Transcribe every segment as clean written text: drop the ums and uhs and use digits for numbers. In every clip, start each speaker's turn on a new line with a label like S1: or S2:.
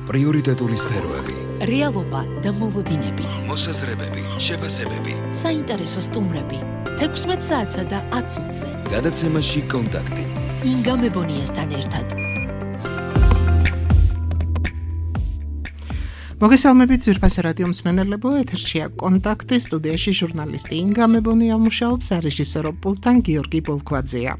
S1: პრიორიტეტული სფეროები,
S2: რეალობა და მოლოდინები,
S1: მოსაზრებები, შეფასებები,
S2: საინტერესო სტუმრები, 16 საათსა და 10 წუთზე.
S1: გადაცემაში კონტაქტი.
S2: ინგა მებონიასთან ერთად.
S3: მოგესალმებით ძვირფასო რადიო მსმენელებო, ეთერშია კონტაქტი, სტუდიაში ჟურნალისტი ინგა მებონია მუშაობს, რეჟისორო პულტთან გიორგი ბოლქვაძეა.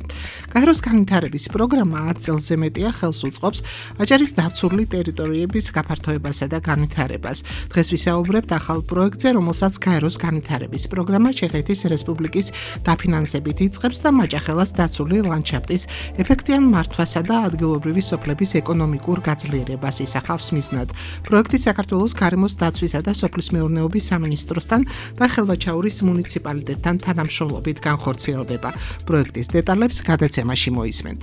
S3: გაეროს განვითარების პროგრამა 10 წელზე მეტია ხელს უწყობს აჭარის დაცული ტერიტორიების გაფართოებასა და განვითარებას. დღეს ვისაუბრებთ ახალ პროექტზე, რომელსაც გაეროს განვითარების პროგრამა ჩეხეთის რესპუბლიკის დაფინანსებით იწყებს და მაჭახელას დაცული ლანდშაფტის ეფექტიან მართვასა და ადგილობრივი სოფლების ეკონომიკურ გაძლიერებას ისახავს მიზნად. პროექტი საქართველოს გარემოს დაცვისა და სოფლის მეურნეობის სამინისტროსთან და ხელვაჩაურის მუნიციპალიტეტთან თანამშრომლობით განხორციელდება. პროექტის დეტალებს გადაცემაში მოისმენთ.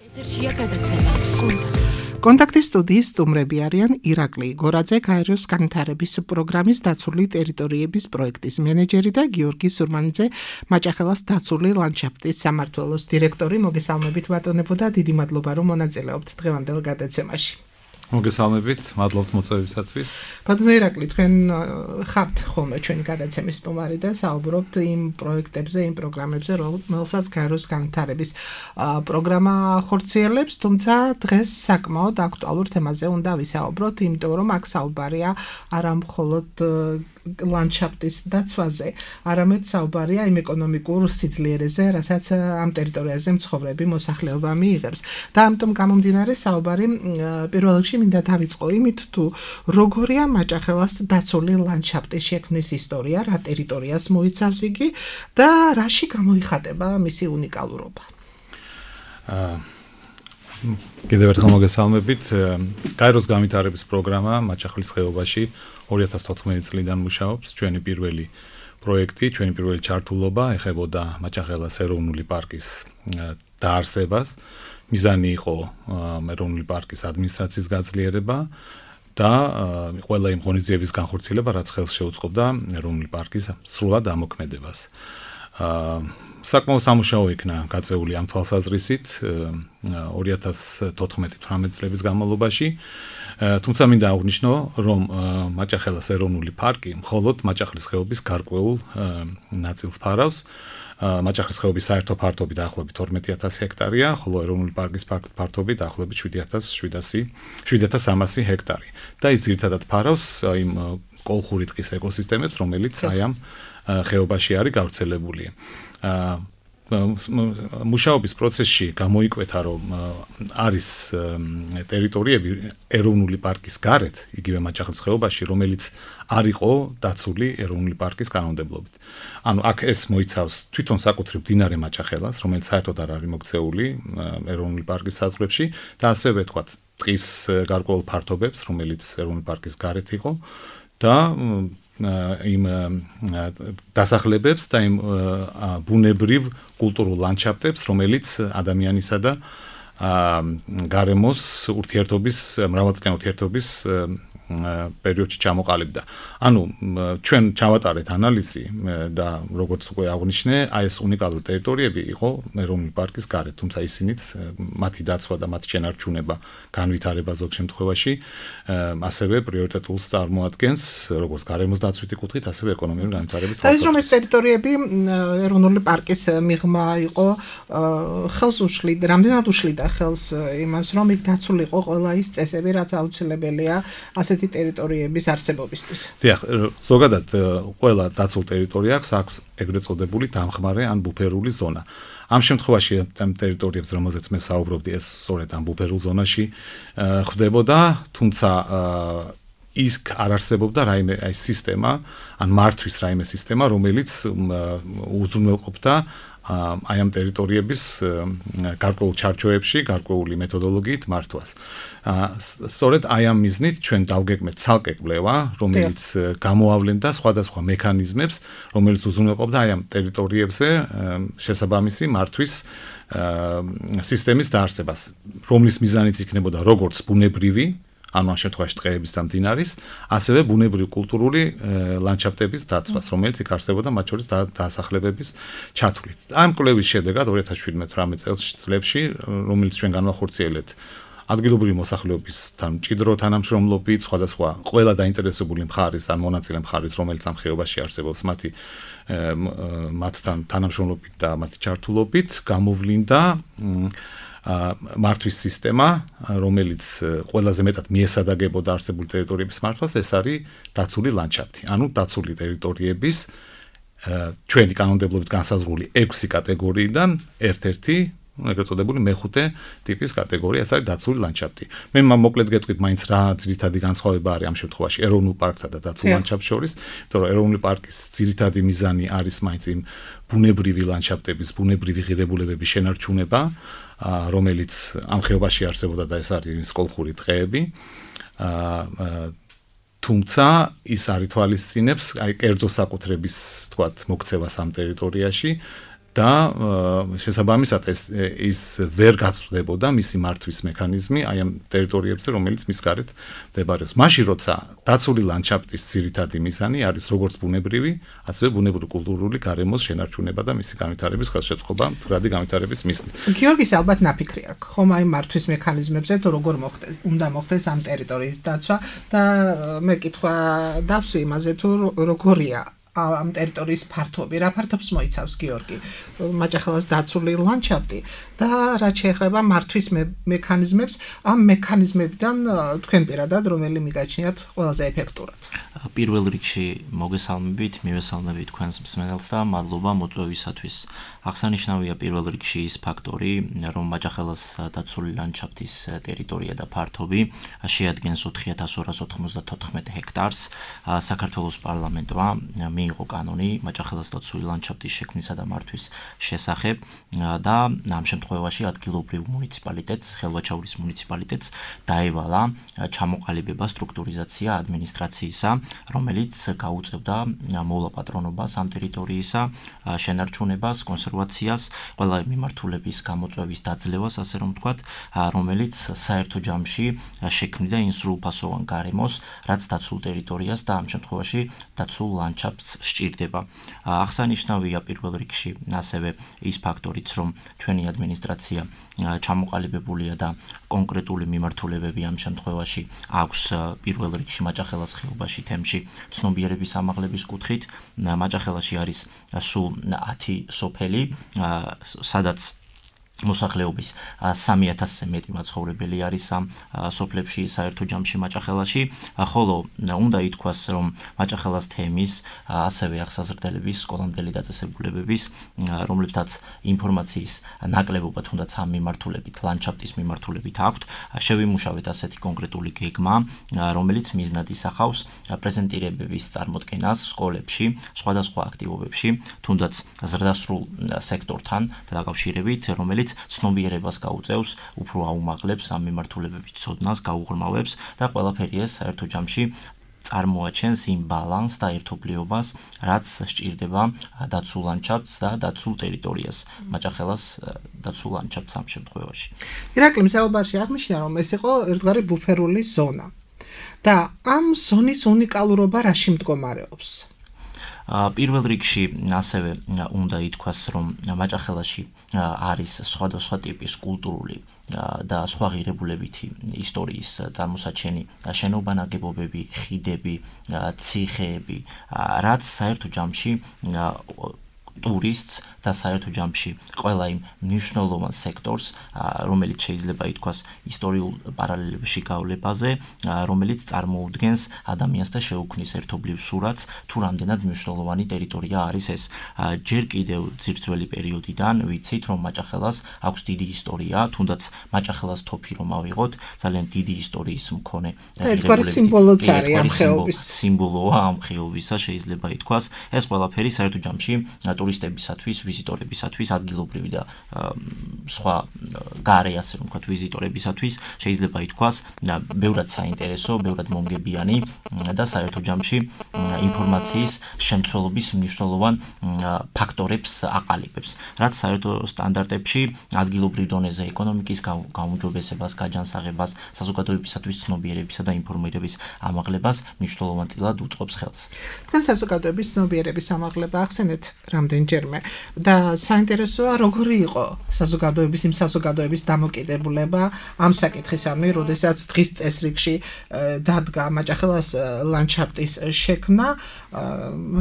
S2: ეთერშია გადაცემა
S3: კონტაქტის სტუდიის სტუმრები არიან ირაკლი გორაძე, გაეროს განვითარების პროგრამის დაცული ტერიტორიების პროექტის მენეჯერი და გიორგი სურმანიძე, მაჭახელას დაცული ლანდშაფტის სამმართველოს დირექტორი. მოგესალმებით ბატონებო და დიდი მადლობა რომ მონაწილეობთ დღევანდელ გადაცემაში.
S4: მოგესალმებით, მადლობთ მოწვევისათვის.
S3: ბატონო ირაკლი, თქვენ ხართ ხოლმე ჩვენი გადაცემის სტუმარი და საუბრობთ იმ პროექტებზე, იმ პროგრამებზე, რომელსაც გაეროს განვითარების პროგრამა ხორციელებს, თუმცა დღეს საკმაოდ აქტუალურ თემაზე უნდა ვისაუბროთ, იმიტომ რომ აქ საუბარია არა მხოლოდ ლანდშაფტის დაცვაზე, არამედ საუბარია იმ ეკონომიკურ სიძლიერეზე, რასაც ამ ტერიტორიაზე მცხოვრები მოსახლეობა მიიღებს. და ამიტომ გამომდინარე საუბარი პირველ რიგში მინდა დავიწყო იმით, თუ როგორია მაჭახელას დაცული ლანდშაფტის შექმნის ისტორია, რა ტერიტორიას მოიცავს იგი და რაში გამოიხატება მისი უნიკალურობა.
S4: კიდევ ერთხელ მოგესალმებით. გაეროს განვითარების პროგრამა მაჭახელის ხეობაში 2014 წლიდან მუშაობს. ჩვენი პირველი პროექტი, ჩვენი პირველი ჩართულობა ეხებოდა მაჭახელას ეროვნული პარკის დაარსებას. მიზანი იყო ეროვნული პარკის ადმინისტრაციის გაძლიერება და ყველა იმ ღონისძიების განხორციელება, რაც ხელს შეუწყობდა ეროვნული პარკის სრულად ამოქმედებას. საკმაოდ სამუშაო იქნა გაწეული ამ თვალსაზრისით 2014-18 წლების განმავლობაში. თუმცა მინდა აღვნიშნო, რომ მაჭახელას ეროვნული პარკი მხოლოდ მაჭახელის ხეობის გარკვეულ ნაწილს ფარავს. მაჭახელის ხეობის საერთო ფართობი დაახლოებით 12000 ჰექტარია, ხოლო ეროვნული პარკის ფართობი დაახლოებით 7300 ჰექტარი. და ის ძირითადად ფარავს იმ კოლხური ტყის ეკოსისტემებს, რომელიც აი ამ ხეობაში არის გავრცელებული. მუშაობის პროცესში გამოიკვეთა, რომ არის ტერიტორიები ეროვნული პარკის გარეთ, იგივე მაჭახელის ხეობაში, რომელიც არ იყო დაცული ეროვნული პარკის კანონმდებლობით. ანუ აქ ეს მოიცავს თვითონ საკუთრივ მდინარე მაჭახელას, რომელიც საერთოდ არ არის მოქცეული ეროვნული პარკის საზღვრებში და ასევე ვთქვათ, ტყის გარკვეულ ფართობებს, რომელიც ეროვნული პარკის გარეთ იყო და იმ დასახლებებს და იმ ბუნებრივ კულტურულ ლანდშაფტებს, რომელიც ადამიანისა და გარემოს ურთიერთობის, მრავალწლიანი ურთიერთობის პერიოდში ჩამოყალიბდა. ანუ ჩვენ ჩავატარეთ ანალიზი და როგორც უკვე აღვნიშნე, აი ეს უნიკალური ტერიტორიები იყო ეროვნული პარკის გარეთ, თუმცა ისინიც მათი დაცვა და მათი შენარჩუნება, განვითარება ზოგ შემთხვევაში ასევე პრიორიტეტულს წარმოადგენს, როგორც გარემოს დაცვითი კუთხით, ასევე ეკონომიკური განვითარების
S3: თვალსაზრისით. და ის რომ ეს ტერიტორიები ეროვნული პარკის მიღმა იყო, ხელს უშლიდა, რამდენად უშლიდა ხელს იმას, რომ იქ დაცულიყო ყველა ის წესები, რაც აუცილებელია ასეთი ტერიტორიების არსებობისთვის.
S4: დიახ, ზოგადად ყველა დაცულ ტერიტორიას აქვს ეგრეთ წოდებული დამხმარე ან ბუფერული ზონა. ამ შემთხვევაში ამ ტერიტორიებს, რომელზეც მე ვსაუბრობდი, ეს სწორედ ამ ბუფერულ ზონაში ხდებოდა, თუმცა ის არ არსებობდა რაიმე აი სისტემა, ან მართვის რაიმე სისტემა, რომელიც უზრუნველყოფდა აი ამ ტერიტორიების გარკვეულ ჩარჩოებში, გარკვეული მეთოდოლოგიით მართვას. სწორედ აი ამ მიზნით ჩვენ დავგეგმეთ ცალკე კვლევა, რომელიც გამოავლენდა სხვადასხვა მექანიზმებს, რომელიც უზრუნველყოფდა აი ამ ტერიტორიებზე შესაბამისი მართვის სისტემის დაარსებას, რომლის მიზანიც იქნებოდა როგორც ბუნებრივი ანუ ამ შემთხვევაში ტყეების და მდინარის, ასევე ბუნებრივი კულტურული ლანდშაფტების დაცვას, რომელიც იქ არსებობდა მათ შორის დაასახლებების ჩათვლით. ამ კვლევის შედეგად 2017-18 წლებში, რომელიც ჩვენ განვახორციელეთ ადგილობრივი მოსახლეობისთან მჭიდრო თანამშრომლობით, სხვადასხვა ყველა დაინტერესებული მხარის ან მონაწილე მხარის, რომელიც ამ ხეობაში არსებობს, მათთან თანამშრომლობით და მათი ჩართულობით გამოვლინდა მართვის სისტემა, რომელიც ყველაზე მეტად მიესადაგებოდა არსებული ტერიტორიების მართვას, ეს არის დაცული ლანდშაფტი. ანუ დაცული ტერიტორიების ჩვენი კანონმდებლობით განსაზღვრული 6 კატეგორიიდან ერთ-ერთი, ეგრეთ წოდებული მეხუთე ტიპის კატეგორია, ეს არის დაცული ლანდშაფტი. მე მოკლედ გეტყვით, მაინც რა ძირითადი განსხვავება არის ამ შემთხვევაში ეროვნულ პარკსა და დაცულ ლანდშაფტს შორის, იმიტომ რომ ეროვნული პარკის ძირითადი მიზანი არის მაინც იმ ბუნებრივი ლანდშაფტების, ბუნებრივი ღირებულებების შენარჩუნება, რომელიც ამ ხეობაში არსებობდა და ეს არის კოლხური ტყეები. თუმცა ის არ ითვალისწინებს კერძო საკუთრების, თქვათ, მოქცევას ამ ტერიტორიაში და შესაბამისად ის ვერ გაწვდებოდა მისი მართვის მექანიზმი აი ამ ტერიტორიებზე, რომელიც მის გარეთ მდებარეობს. მაშინ როცა დაცული ლანდშაფტის ძირითადი მიზანი არის როგორც ბუნებრივი, ასევე ბუნებრივ-კულტურული გარემოს შენარჩუნება და მისი განვითარების ხელშეწყობა, მდგრადი განვითარების მიზნით.
S3: გიორგის ალბათ ნაფიქრი აქვს, ხომ აი მართვის მექანიზმებზე თუ როგორ მოხდეს, უნდა მოხდეს ამ ტერიტორიის დაცვა და მე კითხვა დავსვი იმაზე თუ როგორია ამ ტერიტორიის ფართობი, რა ფართობს მოიცავს გიორგი, მაჭახელას დაცული ლანდშაფტი და რაც შეეხება მართვის მექანიზმებს, ამ მექანიზმებიდან თქვენ პირადად რომელი მიგაჩნიათ ყველაზე ეფექტურად?
S5: პირველ რიგში მოგესალმებით, მივესალმებით თქვენს მსმენელს და მადლობა მოწვევისათვის. აღსანიშნავია პირველ რიგში ის ფაქტორი, რომ მაჭახელას დაცული ლანდშაფტის ტერიტორია და ფართობი შეადგენს 4294 ჰექტარს. საქართველოს პარლამენტმა მიიღო კანონი მაჭახელას დაცული ლანდშაფტის შექმნისა და მართვის შესახებ და ამ შემთხვევაში ადგილობრივ მუნიციპალიტეტს, ხელვაჩაურის მუნიციპალიტეტს დაევალა ჩამოყალიბება, სტრუქტურიზაცია ადმინისტრაციისა, რომელიც გაუწევდა მოვლა-პატრონობას ამ ტერიტორიისა, შენარჩუნებას, კონსერვაციას, ყველა მიმართულების გამოწვევის დაძლევას, ასე რომ ვთქვათ, რომელიც საერთო ჯამში შექმნიდა იმ სრულფასოვან გარემოს, რაც დაცულ ტერიტორიას და ამ შემთხვევაში დაცულ ლანდშაფტს სჭირდება. აღსანიშნავია პირველ რიგში ასევე ის ფაქტორიც, რომ ჩვენი ადმინისტრაცია ჩამოყალიბებულია და კონკრეტული მიმართულებები ამ შემთხვევაში აქვს პირველ რიგში მაჭახელას ხეობაში თემში ცნობიერების ამაღლების კუთხით. მაჭახელაში არის სულ 10 სოფელი, სადაც მოსახლეობის 3000-ზე მეტი მაცხოვრებელი არის ამ სოფლებში საერთო ჯამში მაჭახელაში, ხოლო უნდა ითქვას, რომ მაჭახელას თემის ასევე აღსაზრდელების, სკოლამდელი დაწესებულებების, რომლებთაც ინფორმაციის ნაკლებობა თუნდაც ამ მიმართულებით, ლანდშაფტის მიმართულებით აქვთ, შევიმუშავეთ ასეთი კონკრეტული გეგმა, რომელიც მიზნად ისახავს პრეზენტირებების წარმოდგენას სკოლებში, სხვადასხვა აქტივობებში, თუნდაც ზრდასრულ სექტორთან დაკავშირებით, რომელიც ცნობიერებას გაუწევს, უფრო აუმაღლებს ამ მიმართულებების ცოდნას, გაუღრმავებს და ყველაფერი ეს საერთო ჯამში წარმოაჩენს იმ ბალანსს და ერთობლიობას, რაც სჭირდება დაცულ ლანდშაფტს და დაცულ ტერიტორიას, მაჭახელას დაცულ ლანდშაფტს ამ შემთხვევაში.
S3: ირაკლი მსაუბარში აღნიშნა, რომ ეს იყო ერთგვარი ბუფერული ზონა და ამ ზონის უნიკალურობა რაში მდგომარეობს?
S5: პირველ რიგში ასევე უნდა ითქვას, რომ მაჭახელაში არის სხვადასხვა ტიპის კულტურული და სხვა ღირებულებითი ისტორიის წარმოსაჩენი შენობა ნაგებობები, ხიდები, ციხეები, რაც საერთო ჯამში ტურისტს და საერთო ჯამში ყველა იმ მნიშვნელოვან სექტორს, რომელიც შეიძლება ითქვას ისტორიულ პარალელებში გავლებაზე, რომელიც წარმოუდგენს ადამიანს და შეუქმნის ერთობლივ სურათს, თუ რამდენად მნიშვნელოვანი ტერიტორია არის ეს. ჯერ კიდევ ძირძველი პერიოდიდან ვიცით, რომ მაჭახელას აქვს დიდი ისტორია, თუნდაც მაჭახელას თოფი რომ ავიღოთ, ძალიან დიდი ისტორიის მქონე სიმბოლოა ამ ხეობისა, შეიძლება ითქვას. ეს ყველაფერი საერთო ჯამში ტურისტებისათვის, ვიზიტორებისათვის, ადგილობრივი და სხვა გარე, ასე რომ ვთქვათ, ვიზიტორებისათვის შეიძლება ითქვას ბევრად საინტერესო, ბევრად მომგებიანი და საერთო ჯამში ინფორმაციის შემცველობის მნიშვნელოვან ფაქტორებს აყალიბებს, რაც საერთო სტანდარტებში ადგილობრივ დონეზე ეკონომიკის გაუმჯობესებას, გაჯანსაღებას, საზოგადოებისათვის ცნობიერებისა და ინფორმირების ამაღლებას მნიშვნელოვანწილად უწყობს ხელს.
S3: თან საზოგადოების ცნობიერების ამაღლება ახსენეთ, რამდენი რამდენჯერმე და საინტერესოა როგორი იყო იმ საზოგადოების დამოკიდებულება ამ საკითხისამი, როდესაც დღის წესრიგში დადგა მაჭახელას ლანდშაფტის შექმნა,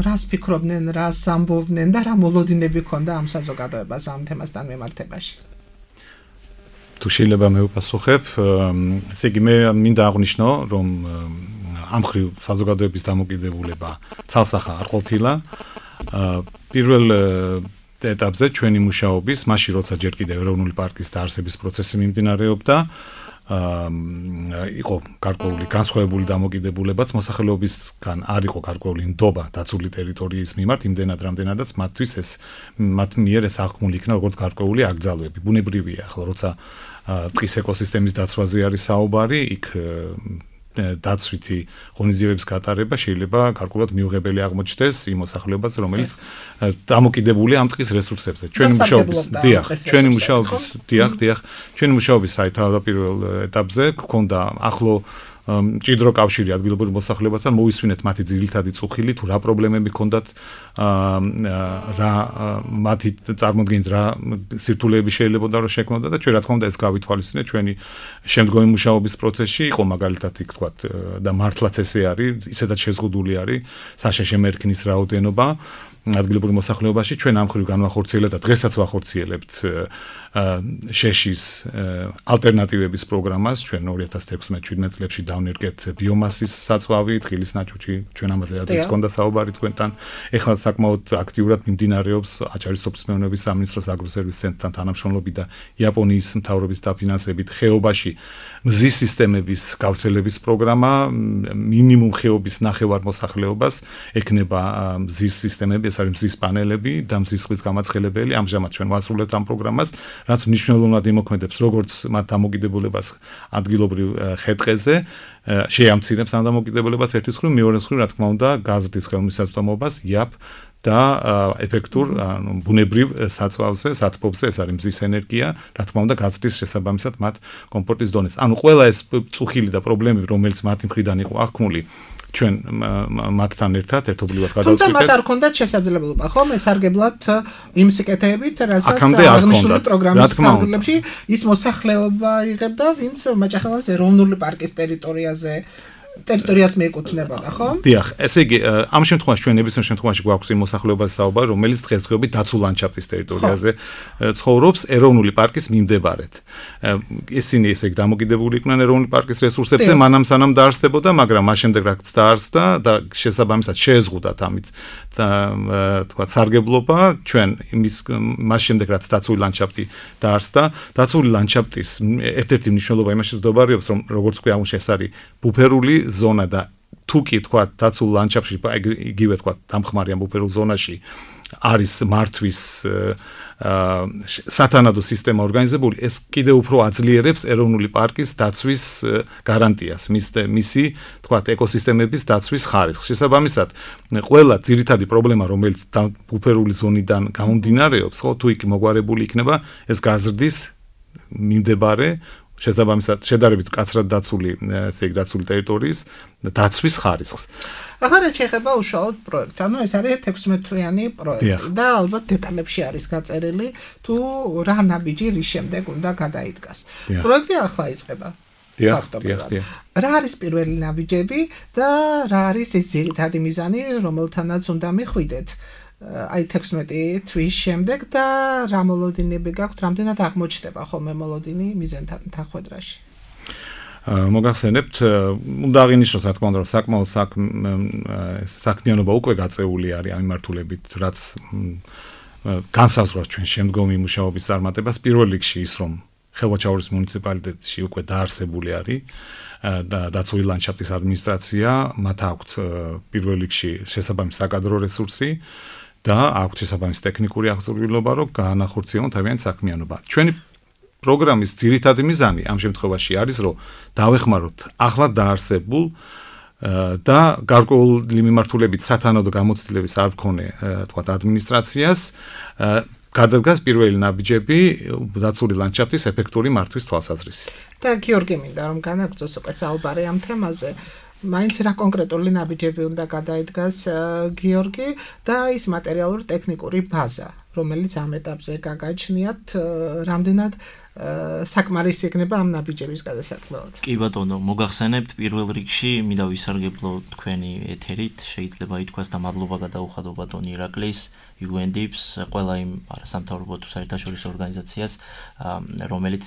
S3: რას ფიქრობდნენ, რას ამბობდნენ და რა მოლოდინები ჰქონდა ამ საზოგადოებას ამ თემასთან მიმართებაში.
S4: თუ შეიძლება მე ვპასუხებ, ესე იგი მე მინდა აღვნიშნო, რომ ამ ხრივ საზოგადოების დამოკიდებულება ცალსახა არ ყოფილა. პირველ ეტაპზე ჩვენი მუშაობის, მაშინ როცა ჯერ კიდევ ეროვნული პარკის დაარსების პროცესი მიმდინარეობდა, იყო გარკვეული განსხვავებული დამოკიდებულებაც მოსახლეობისგან არ იყო გარკვეული ნდობა დაცული ტერიტორიის მიმართ, იმდენად რამდენადაც მათ მიერ ეს აღქმული იქნა როგორც გარკვეული აკრძალვები. ბუნებრივია, ახლა როცა ტყის ეკოსისტემის დაცვაზე არის საუბარი, იქ დაცვითი ღონისძიებების გატარება შეიძლება გარკვეულად მიუღებელი აღმოჩნდეს იმ მოსახლეობას, რომელიც დამოკიდებულია ამ ტყის რესურსებზე. ჩვენი მუშაობის სათავდაპირველ ეტაპზე გქონდა ახლო მჭიდრო კავშირი ადგილობრივ მოსახლეობასთან, მოვისმინეთ მათი ძირითადი წუხილი, თუ რა პრობლემები ჰქონდათ, რა მათი წარმოდგენით რა სირთულეები შეიძლება რომ შექმნოდა და ჩვენ რა თქმა უნდა ეს გავითვალისწინეთ ჩვენი შემდგომი მუშაობის პროცესში. იყო მაგალითად იქ თქვათ და მართლაც ესე არის, ისედაც შეზღუდული არის საშეშე მერქნის რაოდენობა ადგილობრივ მოსახლეობაში. ჩვენ ამ ხრივ განვახორციელებთ და დღესაც ვახორციელებთ შეშის ალტერნატივების პროგრამას. ჩვენ 2016-17 წლებში დავნერგეთ ბიომასის საწვავი, თხილის ნაჭუჭი, ჩვენ ამაზე ადრეც ჰქონდა საუბარი თქვენთან. ეხლა საკმაოდ აქტიურად მიმდინარეობს აჭარის სოფლის მეურნეობის სამინისტროს აგროსერვისის ცენტრთან თანამშრომლობით და იაპონიის მთავრობის დაფინანსებით ხეობაში მზის სისტემების გავრცელების პროგრამა. მინიმუმ ხეობის ნახევარ მოსახლეობას ექნება მზის სისტემები, ეს არის მზის პანელები და მზის წყლის გამაცხელებელი. ამჟამად ჩვენ ვასრულებთ ამ პროგრამას, რაც მნიშვნელოვნად იმოქმედებს როგორც მათ დამოკიდებულებას ადგილობრივ ხე-ტყეზე, შეამცირებს ამ დამოკიდებულებას ერთის მხრივ, მეორეს მხრივ, რა თქმა უნდა, გაზრდის ხელმისაწვდომობას იაპ და ეფექტურ ბუნებრივ საწვავზე, სათბობზე, ეს არის მზის ენერგია, რა თქმა უნდა, გაზრდის შესაბამისად მათ კომფორტის დონეს. ანუ ყველა ეს წუხილი და პრობლემები, რომელიც მათი მხრიდან იყო აღქმული, ჩვენ მათთან ერთად ერთობლივად გადავწყვიტეთ.
S3: თუმცა მათ არ ჰქონდათ შესაძლებლობა, ხომ, ესარგებლად იმ სიკეთეებით, რასაც აღნიშნული პროგრამის ფარგლებში ის მოსახლეობა იღებდა, ვინც მაჭახელას ეროვნული პარკის ტერიტორიას მიეკუთვნებოდა, ხო?
S4: დიახ, ესე იგი, ამ შემთხვევაში ჩვენ ნებისმიერ შემთხვევაში გვაქვს იმ მოსახლეობას საუბარი, რომელიც დღესდღეობით დაცულ ლანდშაფტის ტერიტორიაზე ცხოვრობს ეროვნული პარკის მიმდებარედ. ისინი ესე იგი დამოკიდებული იყვნენ ეროვნული პარკის რესურსებზე, მანამ სანამ დაარსდებოდა, მაგრამ მას შემდეგ რაც დაარსდა და შესაბამისად შეეზღუდათ ამით თქვა სარგებლობა, ჩვენ მას შემდეგ რაც დაცული ლანდშაფტი დაარსდა, დაცული ლანდშაფტის ერთ-ერთი მნიშვნელობა იმაში ვდობარებს, რომ როგორც თქვი ამუშ ეს არის ბუფერული ზონა და თუ კი თქვა დაცულ ლანდშაფტში იგივე თქვა დამხმარე ამ ბუფერულ ზონაში არის მართვის სათანადო სისტემა ორგანიზებული, ეს კიდევ უფრო აძლიერებს ეროვნული პარკის დაცვის გარანტიას, მისი თქვა ეკოსისტემების დაცვის ხარისხს. შესაბამისად, ყველა ძირითადი პრობლემა, რომელიც ბუფერული ზონიდან გამომდინარეობს, ხო, თუ იქ მოგვარებული იქნება ეს გაზრდის მიმდებარე შესაბამისად შედარებით მკაცრად დაცული ტერიტორიის დაცვის ხარისხს.
S3: ახლა რაც შეეხება უშუალოდ პროექტს, ანუ ეს არის 16 თვიანი პროექტი და ალბათ დეტალებში არის გაწერილი, თუ რა ნაბიჯი რის შემდეგ უნდა გადაიდგას. პროექტი ახლა იწყება.
S4: დიახ.
S3: რა არის პირველი ნაბიჯები და რა არის ეს ძირითადი მიზანი, რომელთანაც უნდა მიხვიდეთ? აი 16 თვის შემდეგ და რა მოლოდინები გაქვთ, რამდენად აღმოჩნდება ხოლმე მოლოდინი მიზენთან თანხმდრაში?
S4: მოგახსენებთ, უნდა აღინიშნოს, რა თქმა უნდა, რომ საკმაოდ საქმიანობა უკვე გაწეული არის ამ მიმართულებით, რაც განსაზღვრავს ჩვენ შემდგომი მუშაობის წარმატებას. პირველ რიგში ის, რომ ხელვაჩაურის მუნიციპალიტეტში უკვე დაარსებული არის და დაცული ლანდშაფტის ადმინისტრაცია, მათ აქვთ პირველ რიგში შესაბამისი საკადრო რესურსი და აქვთ შესაბამისი ტექნიკური აღზრდილობა, რომ გაანახორციელონ თავიანთი საქმიანობა. ჩვენი პროგრამის ძირითადი მიზანი ამ შემთხვევაში არის, რომ დავეხმაროთ ახლად დაარსებულ და გარკვეული მიმართულებით სათანადო გამოცდილების არ მქონე, თქვათ, ადმინისტრაციას გადადგას პირველი ნაბიჯები დაცული ლანდშაფტის ეფექტური მართვის თვალსაზრისით.
S3: და გიორგი მინდა რომ განაგრძოს უკვე საუბარი ამ თემაზე. მაინც რა კონკრეტული ნაბიჯები უნდა გადაიდგას გიორგი და ის მატერიალური ტექნიკური ბაზა, რომელიც ამ ეტაპზე გაგაჩნიათ, რამდენად საკმარისი იქნება ამ ნაბიჯების გადასარქმელად.
S5: კი ბატონო, მოგახსენებთ პირველ რიგში მინდა ვისარგებლო თქვენი ეთერით, შეიძლება ითქვას და მადლობა გადაუხადო ბატონ ირაკლის, UNDP-ს, ყველა იმ არასამთავრობო თუ საერთაშორისო ორგანიზაციას, რომელიც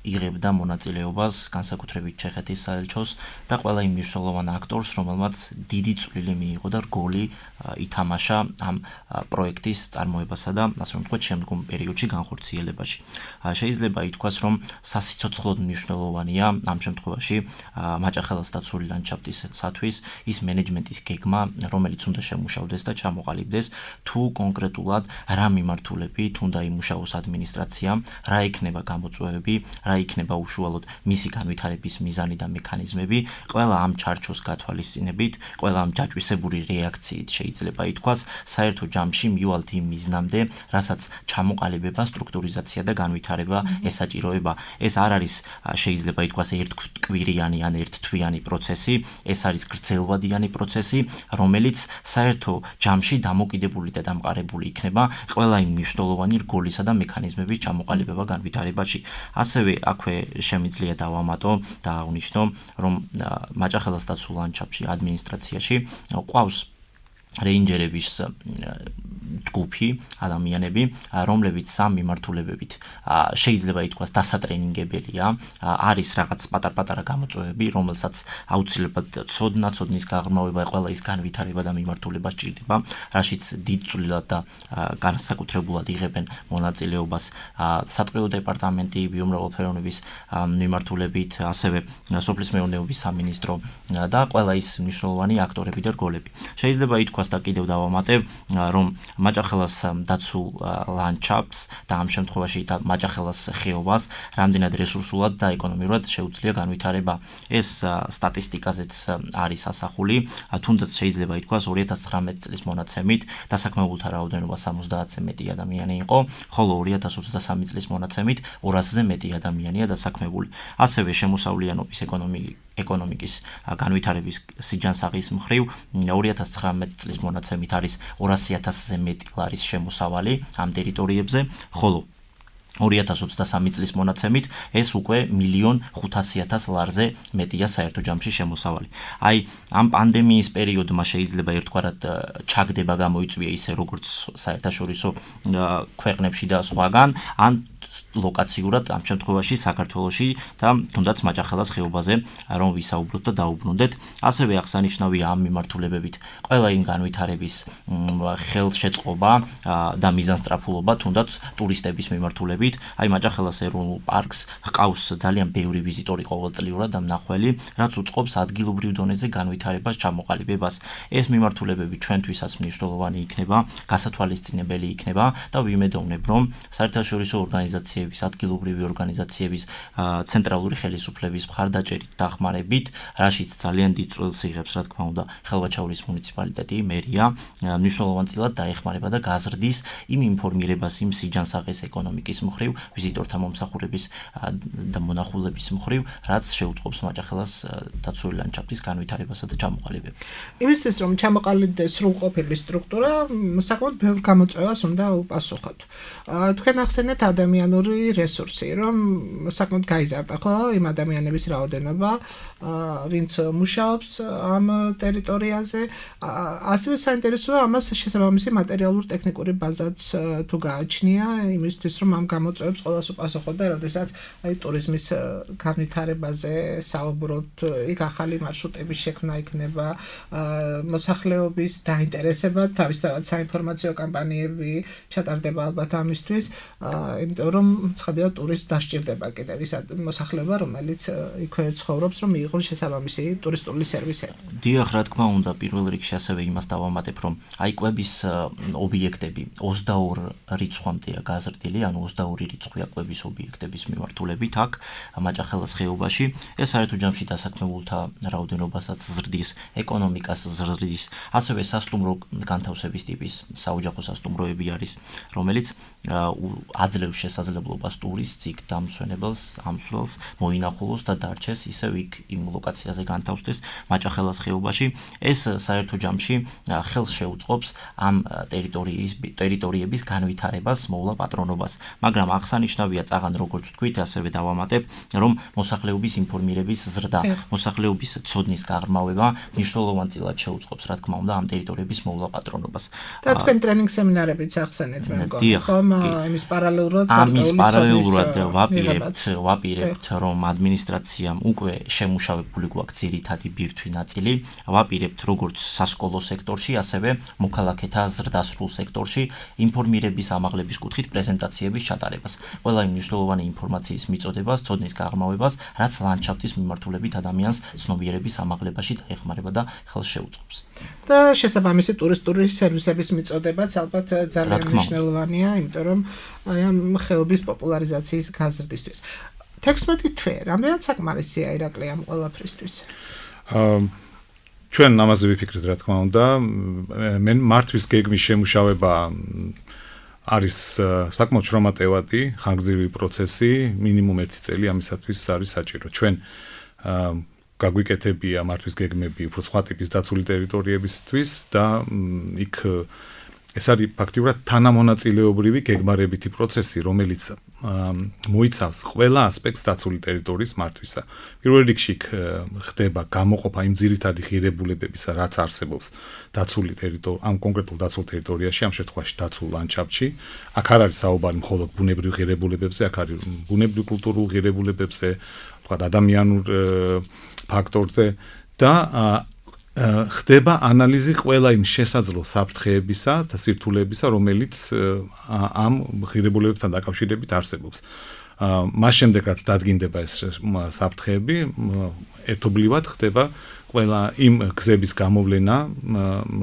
S5: იღებდა მონაწილეობას განსაკუთრებით ჩეხეთის საელჩოს და ყველა იმ მნიშვნელოვან აქტორს, რომელმაც დიდი წვლილი მიიღო და რგოლი ითამაშა ამ პროექტის წარმოებასა და ასე რომ ვთქვათ, შემდგომ პერიოდში განხორციელებაში. შეიძლება ითქვას, რომ სასიცოცხლოდ მნიშვნელოვანია ამ შემთხვევაში მაჭახელას დაცული ლანდშაფტისათვის ის მენეჯმენტის გეგმა, რომელიც უნდა შემუშავდეს და ჩამოყალიბდეს თუ კონკრეტულად რა მიმართულებით უნდა იმუშაოს ადმინისტრაციამ, რა იქნება გამოწვევები, რა იქნება უშუალოდ მისი განვითარების მიზანი და მექანიზმები, ყველა ამ ჩარჩოს გათვალისწინებით, ყველა ამ ჯაჭვისებური რეაქციით შეიძლება ითქვას, საერთო ჯამში მივალთ იმ მიზნამდე, რასაც ჩამოყალიბება, სტრუქტურიზაცია და განვითარება ესაჭიროება. ეს არ არის შეიძლება ითქვას ერთკვირიანი ან ერთთვიანი პროცესი, ეს არის გრძელვადიანი პროცესი, რომელიც საერთო ჯამში დამოკიდებული და დამყარებული იქნება ყველა იმ მნიშვნელოვანი რგოლისა და მექანიზმების ჩამოყალიბება განვითარებაში. ასევე აქვე შემიძლია დავამატო და აღნიშნო, რომ მაჭახელას დაცულ ლანდშაფტში ადმინისტრაციაში ყავს რეინჯერების ჯგუფი ადამიანები, რომლებიც სამ მიმართულებებით შეიძლება ითქვას დასატრენინგებელია, არის რაღაც პატარ-პატარა გამოწვევები, რომელსაც აუცილებლად ცოდნის გაღრმავება, ყველა ის განვითარება და მიმართულება სჭირდება, რაშიც დიდწილად და განსაკუთრებულად იღებენ მონაწილეობას სატყეო დეპარტამენტი, ბიომრავალფეროვნების მიმართულებით, ასევე სოფლის მეურნეობის სამინისტრო და ყველა ის მნიშვნელოვანი აქტორები და რგოლები. შეიძლება ითქვას და კიდევ დავამატე, რომ მაჭახელას დაცულ ლანდშაფტს და ამ შემთხვევაში მაჭახელას ხეობას რამდენად რესურსულად და ეკონომიურად შეუძლია განვითარება. ეს სტატისტიკაზეც არის ასახული, თუნდაც შეიძლება ითქვას 2019 წლის მონაცემით დასაქმებულთა რაოდენობა 70-ზე მეტი ადამიანი იყო, ხოლო 2023 წლის მონაცემით 200-ზე მეტი ადამიანია დასაქმებული. ასევე შემოსავლიანობის ეკონომიკის განვითარების სიჯანსაღის მხრივ 2019 წლის მონაცემით არის 200,000-ზე მეტი ლარის შემოსავალი ამ ტერიტორიებზე, ხოლო 2023 წლის მონაცემით ეს უკვე 1,500,000 ლარზე მეტია საერთო ჯამში შემოსავალი. აი, ამ პანდემიის პერიოდმა შეიძლება ერთგვარად ჩაგდება გამოიწვია ისე როგორც საერთაშორისო ქვეყნებში და სხვაგან, ან ლოკაციურად ამ შემთხვევაში საქართველოში და თუნდაც მაჭახელას ხეობაზე რომ ვისაუბროთ და დაუბრუნდეთ. ასევე აღსანიშნავია ამ მიმართულებებით ყველა იმ განვითარების ხელშეწყობა და მიზანსწრაფულობა თუნდაც ტურისტების მიმართულებით. აი მაჭახელას ეროვნულ პარკს ჰყავს ძალიან ბევრი ვიზიტორი ყოველწლიურად და მნახველი, რაც უწყობს ადგილობრივ დონეზე განვითარებას, ჩამოყალიბებას. ეს მიმართულებები ჩვენთვისაც მნიშვნელოვანი იქნება, გასათვალისწინებელი იქნება და ვიმედოვნებ, რომ საერთაშორისო ორგანიზაციების, ადგილობრივი ორგანიზაციების, ცენტრალური ხელისუფლების მხარდაჭერით დახმარებით, რაშიც ძალიან დიდ წვლილს იღებს, რა თქმა უნდა, ხელვაჩაურის მუნიციპალიტეტი, მერია, მნიშვნელოვანწილად დაეხმარება და გაზრდის იმ ინფორმირებას, იმ სიჯანსაღის ეკონომიკის მხრივ, ვიზიტორთა მომსახურების და მონახულების მხრივ, რაც შეუწყობს მაჭახელას დაცული ლანდშაფტის განვითარებასა და ჩამოყალიბებას.
S3: იმისთვის, რომ ჩამოყალიბდეს სრულყოფილი სტრუქტურა, საკმაოდ ბევრ გამოწვევას უნდა უპასუხოთ. თქვენ ახსენეთ ადამიანური რესურსი, რომ საკმაოდ გაიზარდა, ხო, იმ ადამიანების რაოდენობა, ვინც მუშაობს ამ ტერიტორიაზე. ასევე საინტერესოა ამას შესაბამისი მატერიალურ-ტექნიკური ბაზაც თუ გააჩნია, იმისთვის, რომ ამ გამოწვევებს ყველას უპასუხოთ და როდესაც აი ტურიზმის განვითარებაზე საუბრობთ, იქ ახალი მარშრუტების შექმნა იქნება, მოსახლეობის დაინტერესება, თავისთავად საინფორმაციო კამპანიები ჩატარდება ალბათ ამისთვის, იმიტომ რომ ცხადია ტურისტს დასჭირდება კიდევ ის მოსახლეობა, რომელიც იქვე ცხოვრობს, რომ მიიღონ შესაბამისი ტურისტული სერვისები.
S5: დიახ, რა თქმა უნდა, პირველ რიგში ასევე იმას დავამატებ, რომ აი კვების ობიექტები 22 რიცხვამდეა გაზრდილი, ანუ 22 რიცხვია კვების ობიექტების მიმართულებით აქ მაჭახელას ხეობაში. ეს საერთო ჯამში დასაქმებულთა რაოდენობასაც ზრდის, ეკონომიკას ზრდის, ასევე სასტუმრო განთავსების ტიპის საოჯახო სასტუმროები არის, რომელიც აძლევს შესაძლებლობას შესაძლებლობას ტურისტს იქ დამსვენებელს, ამსვლელს მოინახულოს და დარჩეს ისევ იქ იმ ლოკაციაზე განთავსდეს მაჭახელას ხეობაში. ეს საერთო ჯამში ხელს შეუწყობს ამ ტერიტორიების განვითარებას, მოვლა პატრონობას. მაგრამ აღსანიშნავია წაღან როგორც თქვით, ასევე დავამატებ, რომ მოსახლეობის ინფორმირების ზრდა, მოსახლეობის ცოდნის გაღრმავება მნიშვნელოვანწილად შეუწყობს, რა თქმა უნდა, ამ ტერიტორიების მოვლა პატრონობას.
S3: და თქვენ ტრენინგ სემინარებიც ახსენეთ მე მგონი, ხომ? ამის პარალელურად ვაპირებთ, რომ ადმინისტრაციამ უკვე შემუშავებული გვაქვს ძირითადი ბირთვი ნაწილი, ვაპირებთ როგორც სასკოლო სექტორში, ასევე მოქალაქეთა ზრდასრულ სექტორში ინფორმირების ამაღლების კუთხით პრეზენტაციების ჩატარებას. ყველა იმ მნიშვნელოვანი ინფორმაციის მიწოდებას, ცოდნის გაღრმავებას, რაც ლანდშაფტის მიმართულებით ადამიანს ცნობიერების ამაღლებაში დაეხმარება და ხელს შეუწყობს. და შესაბამისი ტურისტული სერვისების მიწოდებაც ალბათ ძალიან მნიშვნელოვანია, იმიტომ რომ აი ამ ხეობის პოპულარიზაციის გაზრდისთვის. 16 თვე, რამდენად საკმარისია ირაკლი ამ ყველაფრისთვის?
S4: ჩვენ ამაზე ვიფიქრეთ, რა თქმა უნდა, მე მართვის გეგმის შემუშავება არის საკმაოდ შრომატევადი, ხანგრძლივი პროცესი, მინიმუმ 1 წელი ამისათვის არის საჭირო. ჩვენ გაგვიკეთებია მართვის გეგმები უფრო სხვა ტიპის დაცული ტერიტორიებისთვის და იქ ეს არის ფაქტიურად თანამონაწილეობრივი გეგმარებითი პროცესი, რომელიც მოიცავს ყველა ასპექტს დაცული ტერიტორიის მართვისა. პირველ რიგში ხდება გამოყოფა იმ ძირითადი ღირებულებებისა, რაც არსებობს დაცული ტერიტორია, ამ კონკრეტულ დაცულ ტერიტორიაში, ამ შემთხვევაში დაცულ ლანდშაფტში. აქ არ არის საუბარი მხოლოდ ბუნებრივ ღირებულებებზე, აქ არის ბუნებრივ კულტურულ ღირებულებებზე, თქვა ადამიანურ ფაქტორზე და ხდება ანალიზი ყველა იმ შესაძლო საფრთხეებისა და სირთულეებისა, რომელიც ამ ღირებულებებთან დაკავშირებით არსებობს. მას შემდეგ რაც დადგინდება ეს საფრთხეები, ერთობლივად ხდება ყველა იმ გზების გამოვლენა,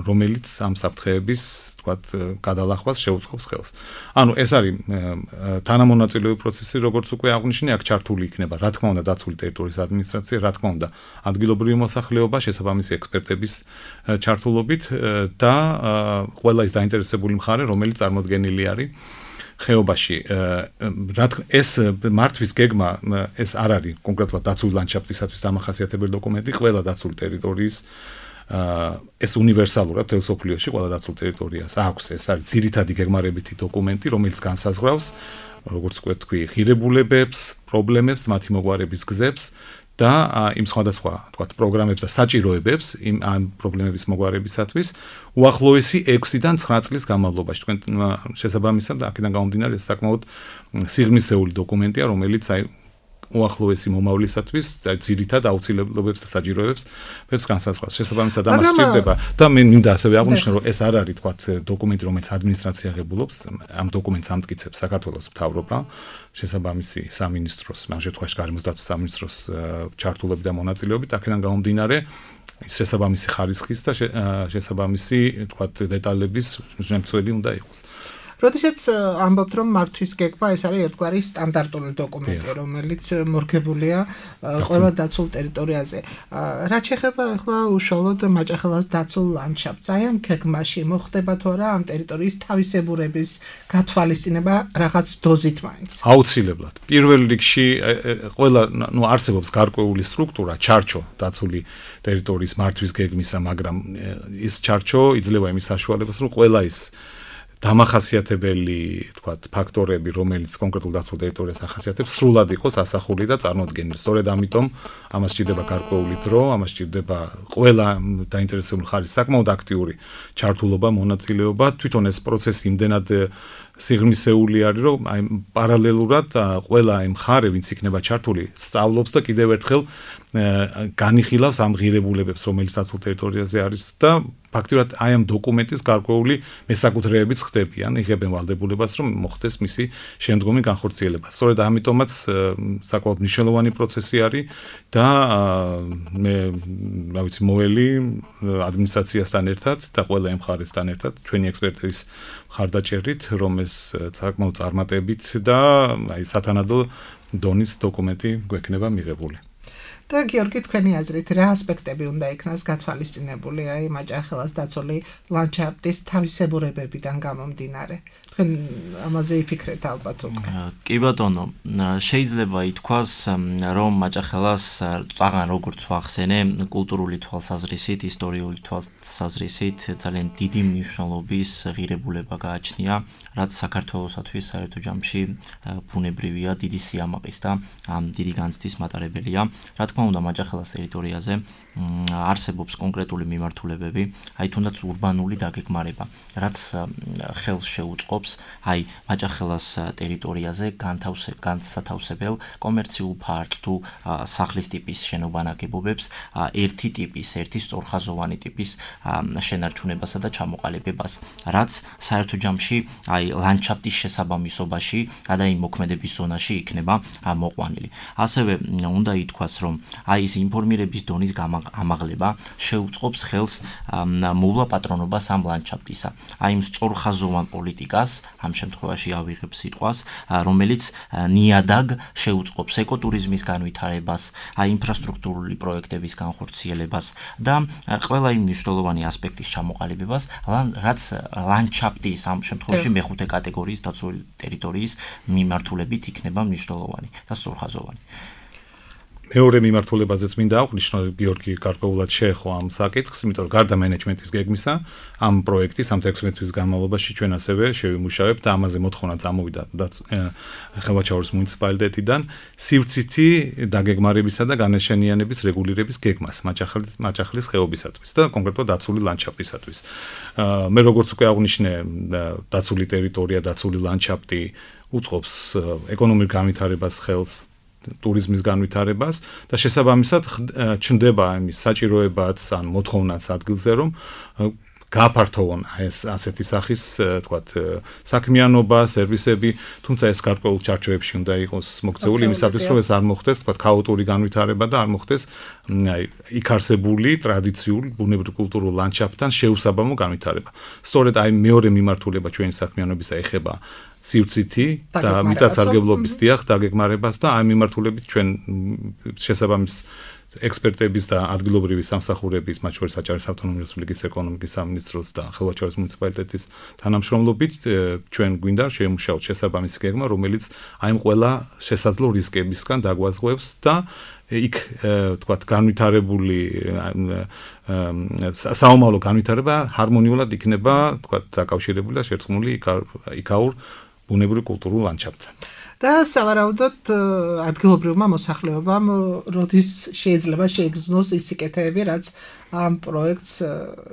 S4: რომელიც ამ საფრთხეების, თქვათ, გადალახვას შეუწყობს ხელს. ანუ ეს არის თანამონაწილეობრივი პროცესი, როგორც უკვე აღნიშნე, აქ ჩართული იქნება, რა თქმა უნდა, დაცული ტერიტორიის ადმინისტრაცია, რა თქმა უნდა, ადგილობრივი მოსახლეობა, შესაბამისი ექსპერტების ჩართულობით და ყველა ის დაინტერესებული მხარე, რომელიც წარმოდგენილი არის ხეობაში. ეს მართვის გეგმა ეს არ არის კონკრეტულად დაცული ლანდშაფტისათვის დამახასიათებელი დოკუმენტი, ყველა დაცული ტერიტორიის ეს უნივერსალურად მთელ სოფლიოში ყველა დაცულ ტერიტორიას აქვს. ეს არის ძირითადი გეგმარებითი დოკუმენტი, რომელიც განსაზღვრავს, როგორც თქვი, ღირებულებებს, პრობლემებს, მათი მოგვარების გზებს და იმ სხვადასხვა, თქვათ, პროგრამებს და საჭიროებებს ამ პრობლემების მოგვარებისათვის უახლოესი 6-დან 9 წლის განმავლობაში. თქვენ შესაბამისად აქედან გამომდინარე ეს საკმაოდ სიღრმისეული დოკუმენტია, რომელიც უახლოესი მომავლისათვის ძირითად აუცილებლობებს და საჭიროებებს განსაზღვრავს. შესაბამისად ამას სჭირდება და მე მინდა ასევე აღვნიშნო, რომ ეს არ არის, თქვათ, დოკუმენტი, რომელიც ადმინისტრაცია ღებულობს, ამ დოკუმენტს ამტკიცებს საქართველოს მთავრობა, შესაბამისი სამინისტროს, ამ შემთხვევაში გარემოს დაცვის სამინისტროს ჩართულობით და მონაწილეობით, აქედან გამომდინარე შესაბამისი ხარისხის და შესაბამისი, თქვათ, დეტალების შემცველი უნდა იყოს.
S3: როდესაც ამბობთ, რომ მართვის გეგმა ეს არის ერთგვარი სტანდარტული დოკუმენტი, რომელიც მორგებულია ყველა დაცულ ტერიტორიაზე. რაც შეეხება ახლა უშუალოდ მაჭახელას დაცულ ლანდშაფტს, აი ამ გეგმაში მოხდება თუ არა ამ ტერიტორიის თავისებურების გათვალისწინება რაღაც დოზით მაინც?
S4: აუცილებლად. პირველ რიგში ყველა, არსებობს გარკვეული სტრუქტურა, ჩარჩო დაცული ტერიტორიის მართვის გეგმისა, მაგრამ ის ჩარჩო იძლევა იმის საშუალებას, რომ ყველა ის დამახასიათებელი, თქვათ, ფაქტორები, რომელიც კონკრეტულ დაცულ ტერიტორიას ახასიათებს, სრულად იყოს ასახული და წარმოდგენილი. სწორედ ამიტომ ამას სჭირდება გარკვეული დრო, ამას სჭირდება ყველა დაინტერესებული მხარის საკმაოდ აქტიური ჩართულობა, მონაწილეობა. თვითონ ეს პროცესი იმდენად სიღრმისეული არის, რომ აი პარალელურად ყველა იმ მხარე, ვინც იქნება ჩართული, სწავლობს და კიდევ ერთხელ განიხილავს ამ ღირებულებებს, რომელიც დაცულ ტერიტორიაზე არის და ფაქტიურად აი ამ დოკუმენტის გარკვეული მესაკუთრეებიც ხდებიან, იღებენ ვალდებულებას, რომ მოხდეს მისი შემდგომი განხორციელება. სწორედ ამიტომაც საკმაოდ მნიშვნელოვანი პროცესი არის და მე, რა ვიცი, მოველი ადმინისტრაციასთან ერთად და ყველა იმ მხარესთან ერთად, ჩვენი ექსპერტების მხარდაჭერით, რომ ეს საკმაოდ წარმატებით და აი სათანადო დონის დოკუმენტი გვექნება მიღებული.
S3: და გიორგი თქვენი აზრით რა ასპექტები უნდა იქნას გათვალისწინებული აი მაჭახელას დაცული ლანდშაფტის თავისებურებებიდან გამომდინარე თქვენ ამაზე იფიქრეთ ალბათ უკვე
S5: კი ბატონო შეიძლება ითქვას რომ მაჭახელას წაღან როგორც ვახსენე კულტურული თვალსაზრისით ისტორიული თვალსაზრისით ძალიან დიდი მნიშვნელობის ღირებულება გააჩნია რაც საქართველოსათვის საერთო ჯამში ბუნებრივია დიდი სიამაყის და დიდი განცდის მატარებელია რა თქმა უნდა მაჭახელას ტერიტორიაზე არსებობს კონკრეტული მიმართულებები აი თუნდაც ურბანული დაგეგმარება რაც ხელს შეუწყობს აი მაჭახელას ტერიტორიაზე განსათავსებელ კომერციულ ფართს თუ სახლის ტიპის შენობანაგებობებს ერთი ტიპის ერთი სწორხაზოვანი ტიპის შენარჩუნებასა და ჩამოყალიბებას რაც საერთო ჯამში აი ლანდშაფტის შესაბამისობაში და იმ მოქმედების ზონაში იქნება მოყვანილი ასევე უნდა ითქვას რომ აი ეს ინფორმირების დონის ამაღლება შეუწყობს ხელს მოვლა პატრონობას ამ ლანდშაფტისა აი იმ სწორხაზოვან პოლიტიკას ამ შემთხვევაში ავიღებ სიტყვას რომელიც ნიადაგ შეუწყობს ეკოტურიზმის განვითარებას აი ინფრასტრუქტურული პროექტების განხორციელებას და ყველა იმ მნიშვნელოვანი ასპექტის ჩამოყალიბებას რაც ლანდშაფტის ამ შემთხვევაში მეხუთე კატეგორიის დაცული ტერიტორიის მიმართულებით იქნება მნიშვნელოვანი და სწორხაზოვანი
S4: მეორე მიმართულებაზეც მინდა აღვნიშნო გიორგი გარკვეულად შეეხო ამ საკითხს, იმიტომ რომ გარდა მენეჯმენტის გეგმისა, ამ პროექტის ამ 16 თვის განმავლობაში ჩვენ ასევე შევიმუშავებთ და ამაზე მოთხოვნა წამოვიდა ხელვაჩაურის მუნიციპალიტეტიდან სივრცითი დაგეგმარებისა და განაშენიანების რეგულირების გეგმას მაჭახლის ხეობისათვის და კონკრეტულად დაცული ლანდშაფტისათვის. მე როგორც უკვე აღვნიშნე, დაცული ტერიტორია, დაცული ლანდშაფტი უწყობს ეკონომიკურ განვითარებას ხელს ტურიზმის განვითარებას და შესაბამისად ჩნდება იმის საჭიროებაც ან მოთხოვნაც ადგილზე რომ გააფართოვონ ეს ასეთი სახის თქვათ საქმიანობა, სერვისები, თუმცა ეს გარკვეულ ჩარჩოებში უნდა იყოს მოქცეული იმისათვის რომ ეს არ მოხდეს თქვათ ქაოტური განვითარება და არ მოხდეს იქ არსებული ტრადიციული ბუნებრივ კულტურულ ლანდშაფტთან შეუსაბამო განვითარება. სწორედ აი მეორე მიმართულება ჩვენი საქმიანობისა ეხება სივრცითი და მიწათსარგებლობის დაგეგმარებას და ამ მიმართულებით ჩვენ შესაბამის ექსპერტების და ადგილობრივი სამსახურების, მათ შორის საჭარეს ავტონომიური რესპუბლიკის ეკონომიკის სამინისტროს და ხელვაჩაურის მუნიციპალიტეტის თანამშრომლობით ჩვენ გვინდა შევიმუშაოთ შესაბამისი გეგმა, რომელიც აი ამ ყველა შესაძლო რისკებისგან დაგვაზღვევს და იქ თქვათ განვითარებული საომავლო განვითარება ჰარმონიულად იქნება თქვათ დაკავშირებული და შერწყმული იქაურ ბუნებრივ კულტურულ ლანდშაფტთან.
S3: და სავარაუდოდ ადგილობრივმა მოსახლეობამ როდის შეიძლება შეიგრძნოს ის სიკეთეები, რაც ამ პროექტს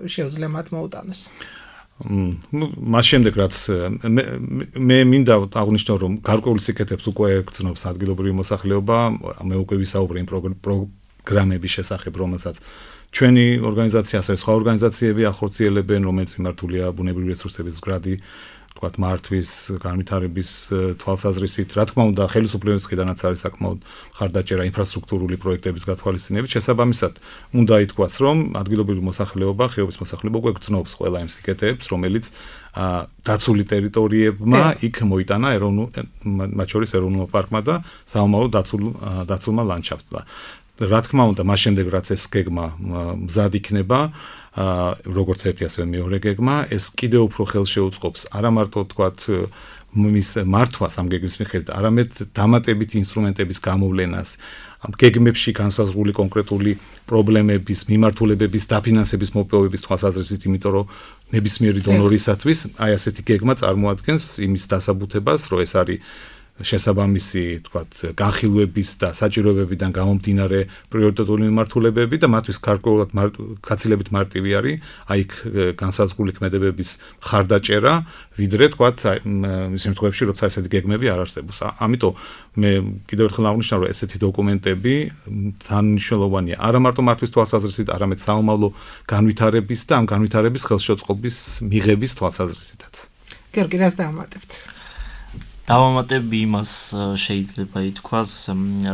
S3: შეუძლია მათ მოუტანოს.
S4: მას შემდეგ რაც მე მინდა აღვნიშნო რომ გარკვეულ სიკეთებს უკვე გრძნობს ადგილობრივი მოსახლეობა, მე უკვე ვისაუბრე იმ პროგრამების შესახებ, რომელსაც ჩვენი ორგანიზაცია, ასევე სხვა ორგანიზაციები ახორციელებენ, რომელიც მიმართულია ბუნებრივი რესურსების მდგრადი თქვათ მართვის განვითარების თვალსაზრისით, რა თქმა უნდა, ხელისუფლების მხრიდანაც არის საკმაოდ მხარდაჭერა ინფრასტრუქტურული პროექტების გათვალისწინებით. შესაბამისად, უნდა ითქვას, რომ ადგილობრივი მოსახლეობა, ხეობის მოსახლეობა უკვე გრძნობს ყველა იმ სიკეთეებს, რომელიც დაცული ტერიტორიებმა იქ მოიტანა მათ შორის ეროვნულ პარკმა და საომავლო დაცულმა ლანდშაფტმა. რა თქმა უნდა, მას შემდეგ რაც ეს გეგმა მზად იქნება, როგორც ერთი ასევე მეორე გეგმა, ეს კიდევ უფრო ხელს შეუწყობს არა მარტო თქვათ მის მართვას ამ გეგმის მიხედვით, არამედ დამატებით ინსტრუმენტების გამოვლენას, ამ გეგმებში განსაზღვრული კონკრეტული პრობლემების, მიმართულებების, დაფინანსების მოპოვების თვალსაზრისით, იმიტომ რომ ნებისმიერი დონორისათვის აი ასეთი გეგმა წარმოადგენს იმის დასაბუთებას, რომ ეს არის შესაბამისი თქვათ განხილვების და საჭიროებებიდან გამომდინარე პრიორიტეტული მიმართულებები და მათთვის გარკვეულად გაცილებით მარტივი არის აი განსაზღვრული ქმედებების მხარდაჭერა, ვიდრე თქვათ იმ შემთხვევებში, როცა ესეთი გეგმები არ არსებობს. ამიტომ მე კიდევ ერთხელ აღვნიშნავ, რომ ესეთი დოკუმენტები ძალიან მნიშვნელოვანია არა მარტო მართვის თვალსაზრისით, არამედ საომავლო განვითარების და ამ განვითარების ხელშეწყობის მიღების თვალსაზრისითაც.
S3: გიორგი, რას დავამატებთ?
S5: დავამატებ იმას შეიძლება ითქვას,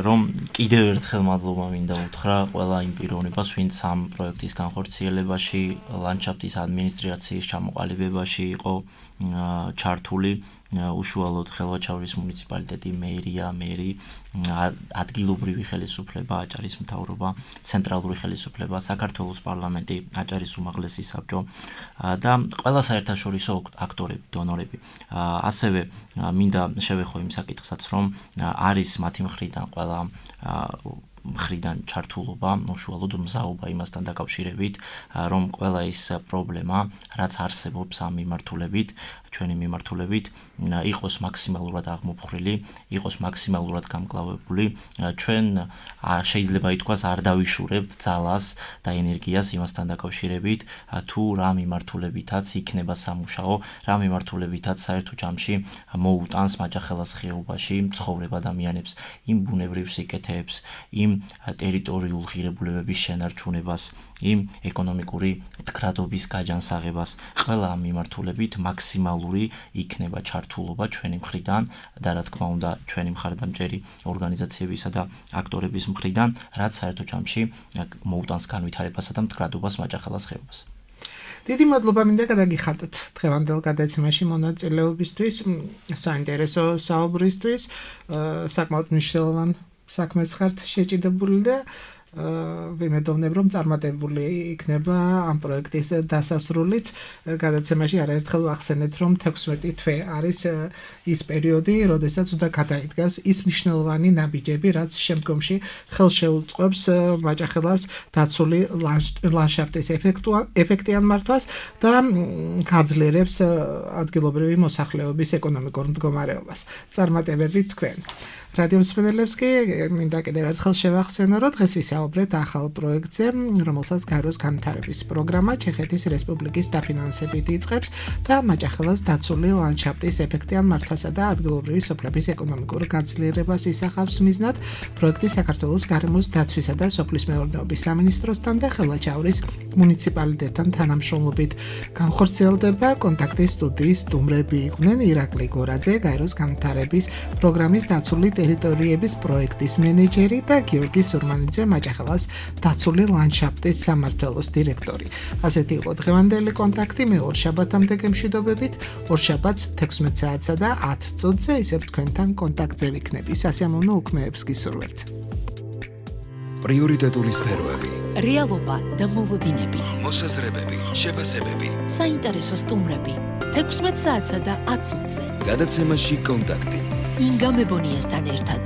S5: რომ კიდევ ერთხელ მადლობა მინდა უთხრა ყველა იმ პიროვნებას, ვინც ამ პროექტის განხორციელებაში, ლანდშაფტის ადმინისტრაციის ჩამოყალიბებაში იყო ჩართული უშუალოდ ხელვაჩაურის მუნიციპალიტეტი, მერი, ადგილობრივი ხელისუფლება, აჭარის მთავრობა, ცენტრალური ხელისუფლება, საქართველოს პარლამენტი, აჭარის უმაღლესი საბჭო და ყველა საერთაშორისო აქტორები, დონორები. ასევე მინდა შევეხო იმ საკითხსაც, რომ არის მათი მხრიდან ყველა მხრიდან ჩართულობა, უშუალოდ მზაობა იმასთან დაკავშირებით, რომ ყველა ის პრობლემა, რაც არსებობს ამ მიმართულებით, ჩვენი მიმართულებით, იყოს მაქსიმალურად აღმოფხრილი, იყოს მაქსიმალურად გამკლავებული. ჩვენ შეიძლება ითქვას არ დავიშურებთ ძალას და ენერგიას იმასთან დაკავშირებით, თუ რა მიმართულებითაც იქნება სამუშაო, რა მიმართულებითაც საერთო ჯამში მოუტანს მაჯახელას ხეობაში მცხოვრებ ადამიანებს იმ ბუნებრივ სიკეთეებს, იმ ტერიტორიულ ღირებულებების შენარჩუნებას, იმ ეკონომიკური მდგრადობის გაჯანსაღებას. ყველა ამ მიმართულებით მაქსიმალური იქნება ჩართულობა ჩვენი მხრიდან და რა თქმა უნდა ჩვენი მხარდამჭერი ორგანიზაციებისა და აქტორების მხრიდან, რაც საერთო ჯამში მოუტანს განვითარებასა და მდგრადობას მაჯახელას ხეობას.
S3: დიდი მადლობა მინდა გადაგიხადოთ დღევანდელ გადაცემაში მონაწილეობისთვის, საინტერესო საუბრისთვის, საკმაოდ მნიშვნელოვან საქმეს ხართ შეჭიდებული და ვიმედოვნებ, რომ წარმატებული იქნება ამ პროექტის დასასრულიც. გადაცემაში არაერთხელ ვახსენეთ, რომ 16 თვე არის ის პერიოდი, როდესაც უნდა გადაიდგას ის მნიშვნელოვანი ნაბიჯები, რაც შემდგომში ხელს შეუწყობს მაჯახელას დაცული ლანდშაფტის ეფექტიან მართვას და გაძლიერებს ადგილობრივი მოსახლეობის ეკონომიკურ მდგომარეობას. წარმატებები თქვენ. რადიო მსმენელებს კი მინდა კიდევ ერთხელ შევახსენო, რომ დღეს ვისაუბრეთ ახალ პროექტზე, რომელსაც გაეროს განვითარების პროგრამა ჩეხეთის რესპუბლიკის დაფინანსებით იწყებს და მაჯახელას დაცული ლანდშაფტის ეფექტიან მართვასა და ადგილობრივი სოფლების ეკონომიკურ გაძლიერებას ისახავს მიზნად. პროექტი საქართველოს გარემოს დაცვისა და სოფლის მეურნეობის სამინისტროსთან და ხელვაჩაურის მუნიციპალიტეტთან თანამშრომლობით განხორციელდება. კონტაქტის სტუდიის სტუმრები იყვნენ ირაკლი გორაძე, გაეროს განვითარების პროგრამის დაცული ტერიტორიების პროექტის მენეჯერი და გიორგი სურმანიძე, მაჯახელას დაცული ლანდშაფტის სამმართველოს დირექტორი. ასეთი იყო დღევანდელი კონტაქტი. მე ორშაბათამდე გემშვიდობებით. ორშაბათს 16 საათსა და 10 წუთზე ისევ თქვენთან კონტაქტზე ვიქნები. სასიამოვნო უქმეებს გისურვებთ.
S1: პრიორიტეტული სფეროები,
S2: რეალობა და მოლოდინები,
S1: მოსაზრებები, შეფასებები.
S2: საინტერესო სტუმრები 16 საათსა და 10 წუთზე.
S1: გადაცემაში კონტაქტი.
S2: ინგა მებონიასთან ერთად.